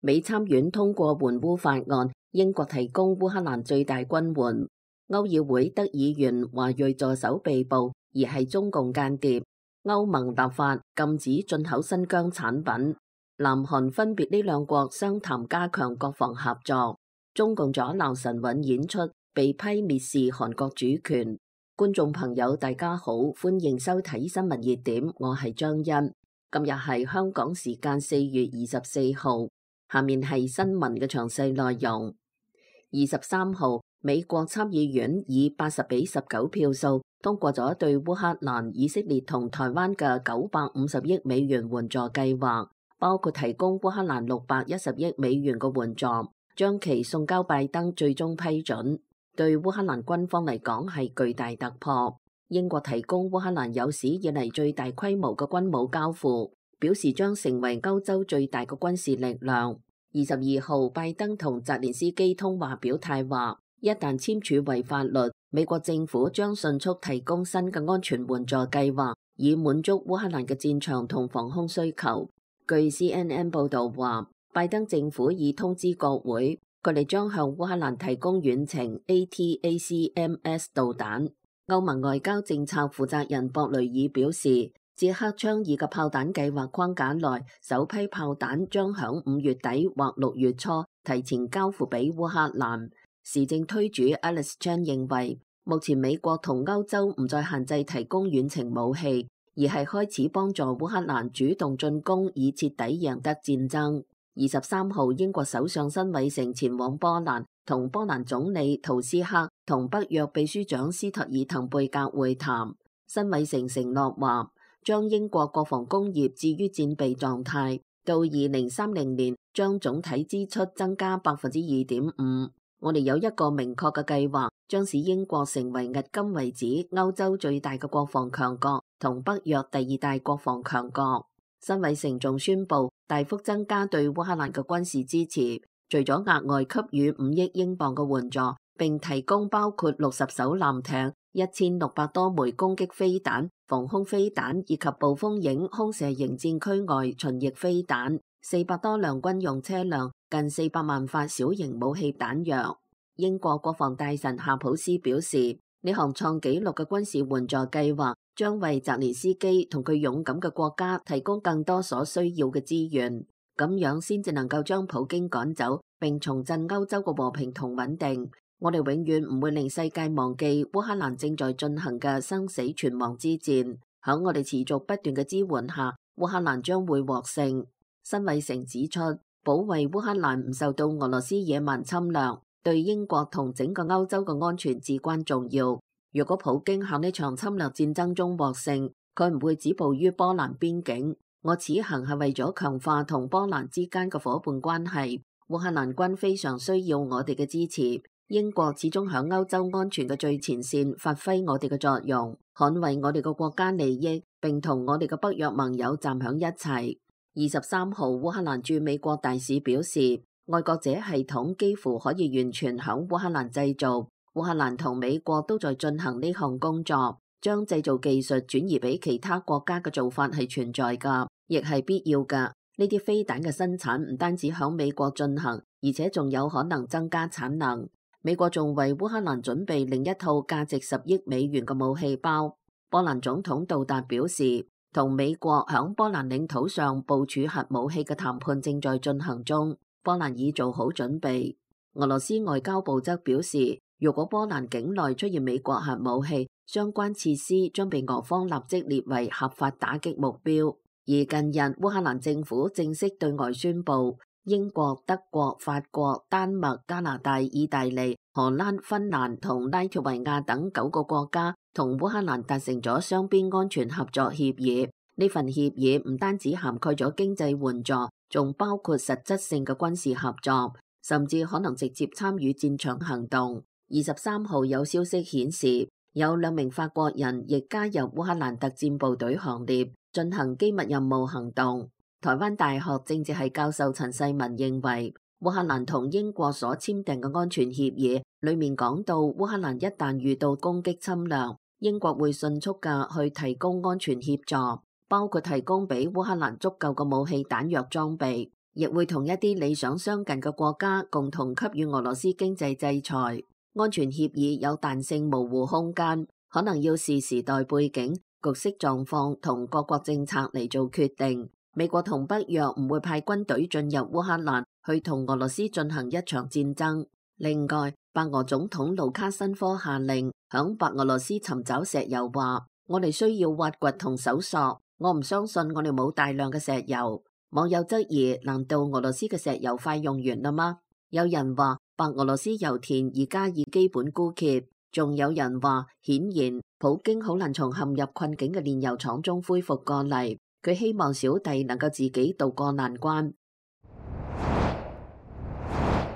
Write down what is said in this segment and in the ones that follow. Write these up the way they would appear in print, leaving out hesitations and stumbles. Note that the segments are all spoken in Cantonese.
美參院通過援烏法案，英國提供烏克蘭最大軍援。歐議會德議員華裔助手被捕，而係中共間諜。歐盟立法禁止進口新疆產品。南韓分別呢兩國商談加強國防合作。中共阻撓神韻演出，被批蔑視韓國主權。觀眾朋友大家好，歡迎收睇新聞熱點，我係張欣。今日係香港時間4月24號，下面係新聞嘅詳細內容。23號，美國參議院以80-19票數通過咗對烏克蘭、以色列同台灣嘅950億美元援助計劃，包括提供烏克蘭610億美元嘅援助，將其送交拜登最終批准。對烏克蘭軍方嚟講係巨大突破。英國提供烏克蘭有史以嚟最大規模嘅軍武交付，表示將成為歐洲最大嘅軍事力量。22號，拜登同澤連斯基通話表態話，一旦簽署為法律，美國政府將迅速提供新嘅安全援助計劃，以滿足烏克蘭嘅戰場同防空需求。據 CNN 報導話，拜登政府已通知國會，佢哋將向烏克蘭提供遠程 ATACMS 導彈。歐盟外交政策負責人博雷爾表示，捷克倡議嘅炮彈計劃框架內，首批炮彈將響5月底或6月初提前交付俾烏克蘭。時政推主 Alex Chan 認為，目前美國同歐洲唔再限制提供遠程武器，而係開始幫助烏克蘭主動進攻，以徹底贏得戰爭。23號，英國首相辛偉誠前往波蘭，同波蘭總理圖斯克同北約秘書長斯特爾滕貝格會談。辛偉誠承諾話，將英國國防工業置於戰備狀態，到2030年將總體支出增加2.5%。我哋有一個明確嘅計劃，將使英國成為迄今為止歐洲最大嘅國防強國，同北約第2大國防強國。辛偉誠仲宣布大幅增加對烏克蘭嘅軍事支持，除咗額外給予5億英鎊嘅援助，並提供包括60艘艦艇、1600多枚攻擊飛彈、防空飛彈以及暴風影空射型戰區外巡弋飛彈、400多輛軍用車輛、近400萬發小型武器彈藥。英國國防大臣夏普斯表示，呢項創紀錄嘅軍事援助計劃將為澤連斯基同佢勇敢嘅國家提供更多所需要嘅資源，咁樣先至能夠將普京趕走，並重振歐洲嘅和平同穩定。我哋永遠唔會令世界忘記烏克蘭正在進行嘅生死存亡之戰。喺我哋持續不斷嘅支援下，烏克蘭將會獲勝。辛偉誠指出，保衛烏克蘭唔受到俄羅斯野蠻侵略，對英國同整個歐洲嘅安全至關重要。如果普京喺呢場侵略戰爭中獲勝，佢唔會止步於波蘭邊境。我此行係為咗強化同波蘭之間嘅伙伴關係。烏克蘭軍非常需要我哋嘅支持。英國始終喺歐洲安全嘅最前線發揮我哋嘅作用，捍衛我哋嘅國家利益，並同我哋嘅北約盟友站響一齊。23號，烏克蘭駐美國大使表示，愛國者系統幾乎可以完全響烏克蘭製造。烏克蘭同美國都在進行呢項工作，將製造技術轉移俾其他國家嘅做法係存在㗎，亦係必要㗎。呢啲飛彈嘅生產唔單止響美國進行，而且仲有可能增加產能。美國仲為烏克蘭準備另一套價值10億美元嘅武器包。波蘭總統杜達表示，同美國響波蘭領土上部署核武器嘅談判正在進行中，波蘭已做好準備。俄羅斯外交部則表示，如果波蘭境內出現美國核武器，相關設施將被俄方立即列為合法打擊目標。而近日，烏克蘭政府正式對外宣布，英國、德國、法國、丹麥、加拿大、意大利、荷蘭、芬蘭同拉脫維亞等9個國家同烏克蘭達成咗雙邊安全合作協議。呢份協議唔單止涵蓋咗經濟援助，仲包括實質性嘅軍事合作，甚至可能直接參與戰場行動。23號有消息顯示，有2名法國人亦加入烏克蘭特戰部隊行列，進行機密任務行動。台灣大學政治系教授陳世文認為，烏克蘭同英國所簽訂嘅安全協議裏面講到，烏克蘭一旦遇到攻擊侵略，英國會迅速嘅去提供安全協助，包括提供俾烏克蘭足夠嘅武器彈藥裝備。亦會同一啲理想相近嘅國家共同給予俄羅斯經濟制裁。安全協議有彈性模糊空間，可能要視時代背景、局勢狀況同各國政策嚟做決定。美國同北約唔會派軍隊進入烏克蘭去同俄羅斯進行一場戰爭。另外，白俄總統盧卡申科下令響白俄羅斯尋找石油，話我哋需要挖掘同搜索，我唔相信我哋冇大量嘅石油。網友質疑，難道俄羅斯嘅石油快用完啦嗎？有人話白俄羅斯油田而家已基本枯竭，仲有人話顯然普京好難從陷入困境嘅煉油廠中恢復過嚟，佢希望小弟能夠自己渡過難關。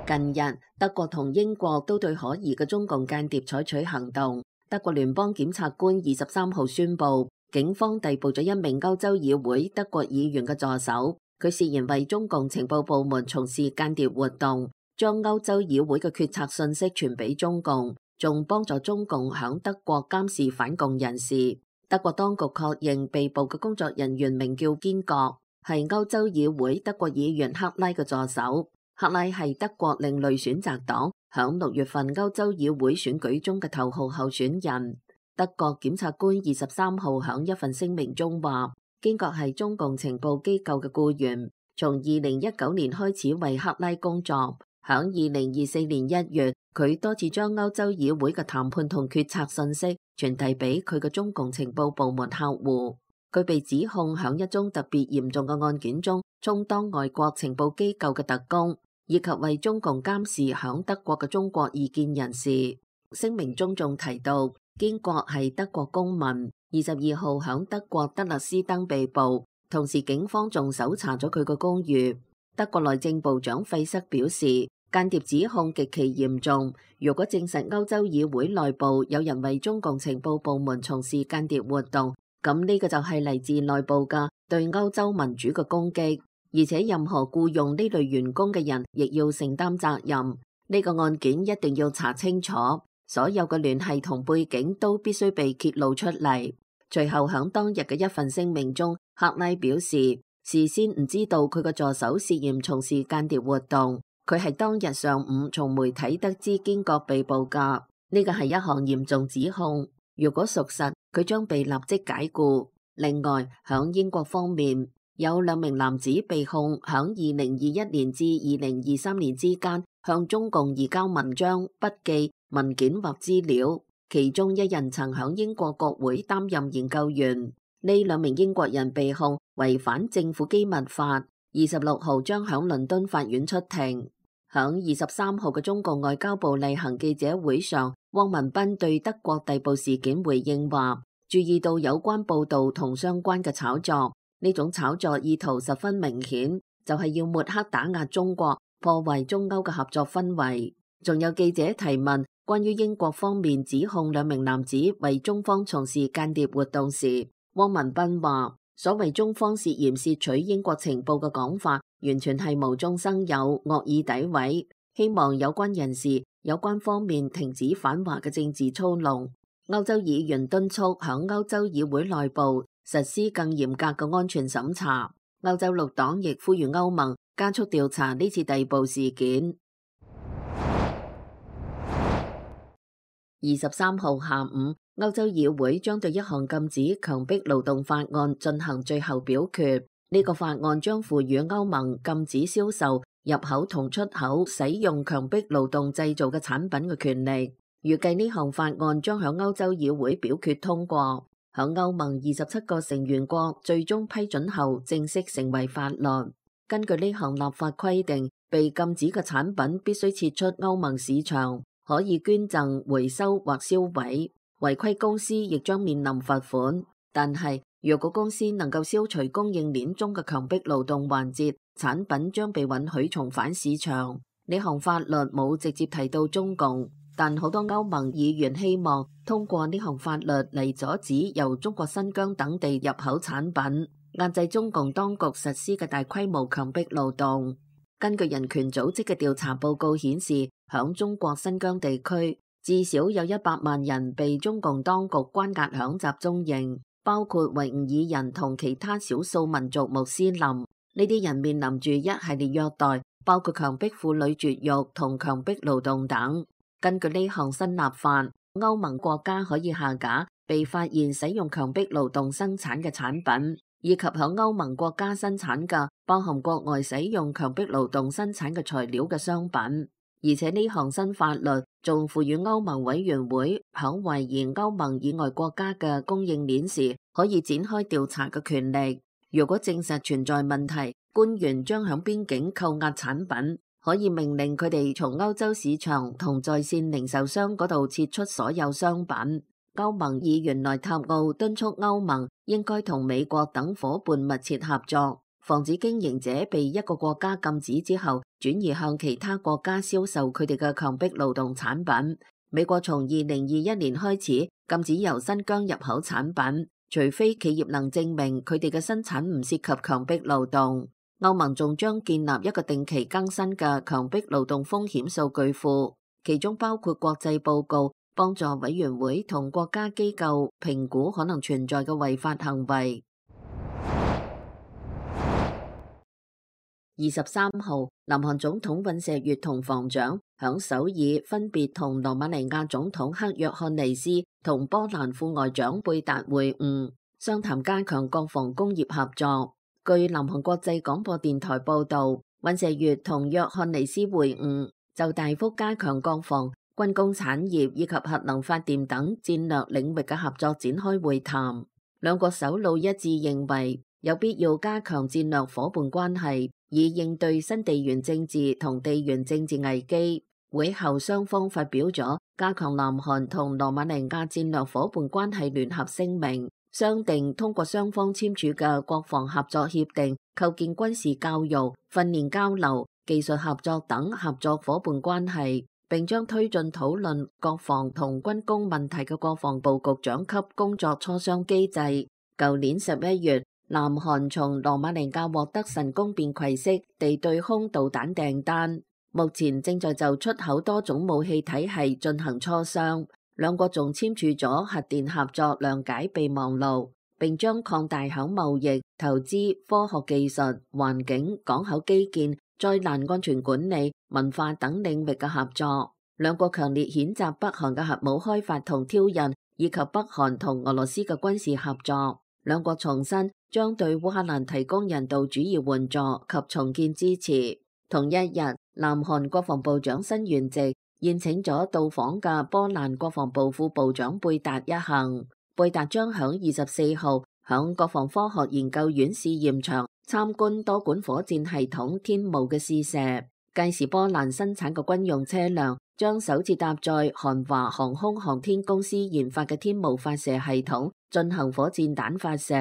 近日，德國同英國都對可疑嘅中共間諜採取行動。德國聯邦檢察官23號宣布，警方逮捕咗一名歐洲議會德國議員嘅助手，佢涉嫌為中共情報部門從事間諜活動，將歐洲議會嘅決策信息傳俾中共，仲幫助中共響德國監視反共人士。德國當局確認被捕嘅工作人員名叫堅國，係歐洲議會德國議員克拉嘅助手。克拉係德國另類選擇黨響6月份歐洲議會選舉中嘅頭號候選人。德國檢察官23號響一份聲明中話，堅國係中共情報機構嘅僱員，從2019年開始為克拉工作。響2024年1月，佢多次將歐洲議會嘅談判同決策信息傳遞俾佢嘅中共情報部門客戶。佢被指控響一宗特別嚴重嘅案件中，充當外國情報機構嘅特工，以及為中共監視響德國嘅中國異見人士。聲明中仲提到，堅國係德國公民，22號響德國德勒斯登被捕，同時警方仲搜查咗佢個公寓。德國內政部長費瑟表示，間諜指控極其嚴重，如果證實歐洲議會內部有人為中共情報部門從事間諜活動，咁呢個就係嚟自內部嘅對歐洲民主嘅攻擊。而且任何僱用呢類員工嘅人亦要承擔責任。呢個案件一定要查清楚，所有嘅聯繫同背景都必須被揭露出嚟。隨後響當日嘅一份聲明中，克拉表示事先唔知道佢個助手涉嫌從事間諜活動，佢係當日上午從媒體得知堅國被捕噶。呢個係一項嚴重指控，如果屬實，佢將被立即解僱。另外，響英國方面，有2名男子被控響2021年至2023年之間向中共移交文章、筆記、文件或資料，其中一人曾響英國國會擔任研究員。呢2名英國人被控違反政府機密法，26號將響倫敦法院出庭。響23號嘅中共外交部例行記者會上，汪文斌對德國逮捕事件回應話，注意到有關報道同相關嘅炒作，呢種炒作意圖十分明顯，就係要抹黑打壓中國，破壞中歐嘅合作氛圍。仲有記者提問關於英國方面指控2名男子為中方從事間諜活動時，汪文斌話，所謂中方涉嫌竊取英國情報嘅講法，完全係無中生有、惡意詆毀，希望有關人士、有關方面停止反華嘅政治操弄。歐洲議員敦促響歐洲議會內部實施更嚴格嘅安全審查。歐洲綠黨亦呼籲歐盟加速調查呢次逮捕事件。23號下午，歐洲議會將對一項禁止強迫勞動法案進行最後表決。呢個法案將賦予歐盟禁止銷售、入口同出口使用強迫勞動製造嘅產品嘅權利。預計呢項法案將響歐洲議會表決通過，響歐盟27個成員國最終批准後正式成為法律。根據呢項立法規定，被禁止嘅產品必須撤出歐盟市場，可以捐贈、回收或銷毀。違規公司亦將面臨罰款。但係，若果公司能夠消除供應鏈中嘅強迫勞動環節，產品將被允許重返市場。呢項法律冇直接提到中共，但好多歐盟議員希望通過呢項法律嚟阻止由中國新疆等地入口產品，壓制中共當局實施嘅大規模強迫勞動。根據人權組織嘅調查報告顯示，響中國新疆地區，至少有100萬人被中共當局關押響集中營，包括維吾爾人同其他少數民族穆斯林。呢啲人面臨住一系列虐待，包括強迫婦女絕育同強迫勞動等。根據呢項新立法，歐盟國家可以下架被發現使用強迫勞動生產嘅產品，以及響歐盟國家生產嘅包含國外使用強迫勞動生產嘅材料嘅商品。而且呢項新法律仲賦予歐盟委員會響懷疑歐盟以外國家嘅供應鏈時，可以展開調查嘅權力。如果證實存在問題，官員將響邊境扣押產品，可以命令佢哋從歐洲市場同在線零售商嗰度撤出所有商品。歐盟議員內塔奧敦促歐盟應該同美國等夥伴密切合作，防止經營者被一個國家禁止之後，轉移向其他國家銷售佢哋嘅強迫勞動產品。美國從2021年開始禁止由新疆入口產品，除非企業能證明佢哋嘅生產唔涉及強迫勞動。歐盟仲將建立一個定期更新嘅強迫勞動風險數據庫，其中包括國際報告，幫助委員會同國家機構評估可能存在嘅違法行為。23號，南韓總統尹錫悅同防長響首爾分別同羅馬尼亞總統克約翰尼斯同波蘭副外長貝達會晤，商談加強國防工業合作。據南韓國際廣播電台報導，尹錫悅同約翰尼斯會晤，就大幅加強國防、軍工產業以及核能發電等戰略領域嘅合作展開會談。兩國首腦一致認為有必要加強戰略夥伴關係，以應對新地緣政治同地緣政治危機。會後雙方發表咗加強南韓同羅馬尼亞戰略夥伴關係聯合聲明，商定通過雙方簽署嘅國防合作協定，構建軍事教育、訓練交流、技術合作等合作夥伴關係，並將推進討論國防同軍工問題嘅國防部局長級工作磋商機制。舊年11月，南韓從羅馬尼亞獲得神功便攜式地對空導彈訂單，目前正在就出口多種武器體系進行磋商。兩國仲簽署咗核電合作諒解備忘錄，並將擴大響貿易、投資、科學技術、環境、港口基建、災難安全管理、文化等領域嘅合作。兩國強烈譴責北韓嘅核武開發同挑釁，以及北韓同俄羅斯嘅軍事合作。兩國重申將對烏克蘭提供人道主義援助及重建支持。同一日，南韓國防部長申元直宴請咗到訪嘅波蘭國防部副部長貝達一行。貝達將響24號響國防科學研究院試驗場參觀多管火箭系統天霧嘅試射。屆時波蘭生產嘅軍用車輛將首次搭載韓華航空航天公司研發嘅天霧發射系統進行火箭彈發射。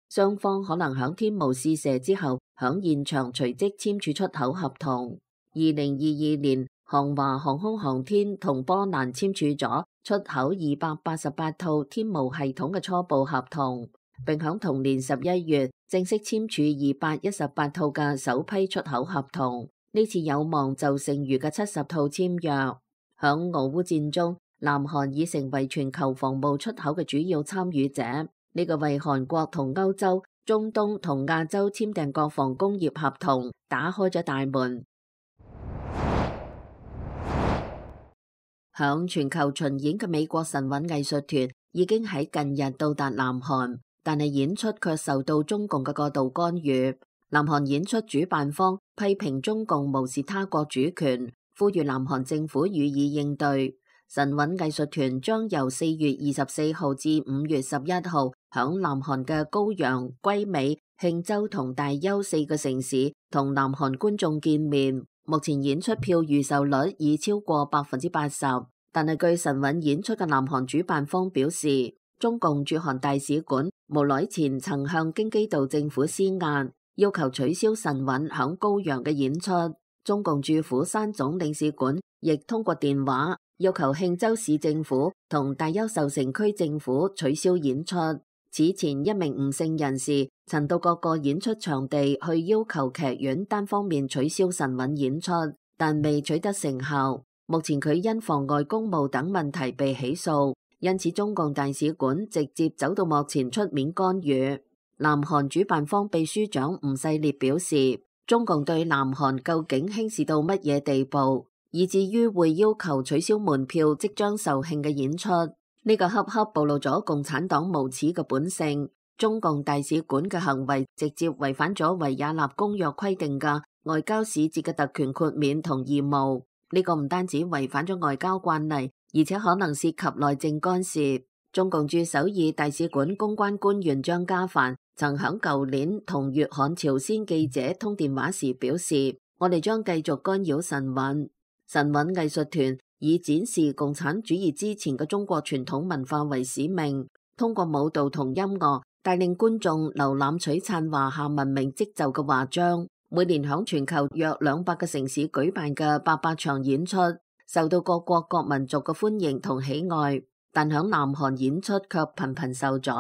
雙方可能響天霧試射之後響現場隨即簽署出口合同。2022年，韓華航空航天同波蘭簽署咗出口288套天霧系統嘅初步合同，並響同年11月正式簽署218套嘅首批出口合同。呢次有望就剩餘嘅70套簽約。響俄烏戰中，南韓已成為全球防務出口嘅主要參與者，呢個為韓國同歐洲、中東同亞洲簽訂國防工業合同打開咗大門。響全球巡演嘅美國神韻藝術團已經喺近日到達南韓，但係演出卻受到中共嘅過度干預。南韓演出主辦方批評中共無視他國主權，呼籲南韓政府予以應對。神韻藝術團將由4月24號至5月11號響南韓嘅高陽、歸美、慶州同大邱4個城市同南韓觀眾見面。目前演出票預售率已超過80%，但係據神韻演出嘅南韓主辦方表示，中共駐韓大使館無耐前曾向京畿道政府施壓，要求取消神韻響高陽嘅演出。中共駐釜山總領事館亦通過電話要求慶州市政府同大邱受城區政府取消演出。此前一名吳姓人士曾到各個演出場地去要求劇院單方面取消神韻演出，但未取得成效。目前佢因妨礙公務等問題被起訴，因此中共大使館直接走到幕前出面干預。南韓主辦方秘書長吳世烈表示，中共對南韓究竟輕視到乜嘢地步，以至於會要求取消門票即將售罄嘅演出，呢個恰恰暴露咗共產黨無恥嘅本性。中共大使館嘅行為直接違反咗維也納公約規定嘅外交使節嘅特權豁免同義務，呢個唔單止違反咗外交慣例，而且可能涉及內政干涉。中共駐首爾大使館公關官員張家帆曾響舊年同粵韓朝鮮記者通電話時表示，我哋將繼續干擾晨韻。晨韻藝術團以展示共產主義之前嘅中國傳統文化為使命，通過舞蹈同音樂帶領觀眾瀏覽璀璨華夏文明織就嘅華章。每年響全球約200個城市舉辦嘅800場演出，受到各國各民族嘅歡迎同喜愛，但響南韓演出卻頻頻受阻。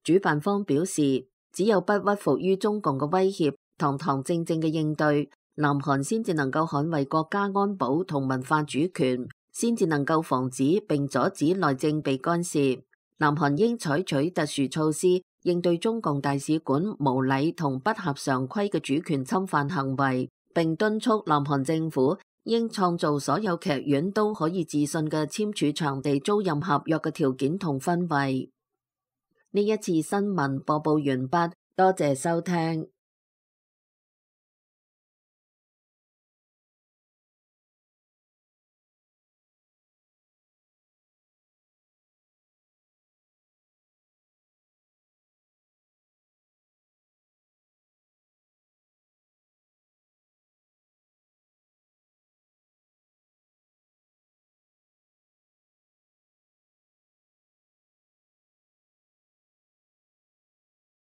主辦方表示，只有不屈服於中共嘅威脅，堂堂正正嘅應對，南韓先至能夠捍衛國家安保同文化主權，先至能夠防止並阻止內政被干涉。南韓應採取特殊措施，應對中共大使館無禮同不合常規嘅主權侵犯行為，並敦促南韓政府應創造所有劇院都可以自信嘅簽署場地租賃合約嘅條件同氛圍。呢一次新聞播報完畢，多謝收聽。